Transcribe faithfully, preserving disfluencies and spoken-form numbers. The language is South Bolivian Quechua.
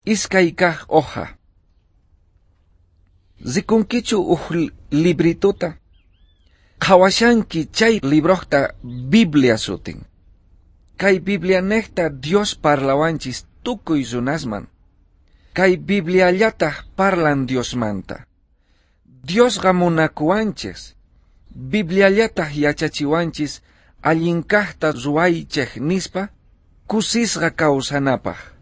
Iskay kaj hoja. Rikunkichu uj librituta? Qhawashanki chay librojta Biblia sutin. Kay Biblianejta Dios parlawanchis tukuy runasman. Kay Bibliallataj parlan Diosmanta. Diosqa munakuwanchis. Bibliallataj yachachiwanchis allin kajta ruwaychej nispa kusisqa kawsanapaj.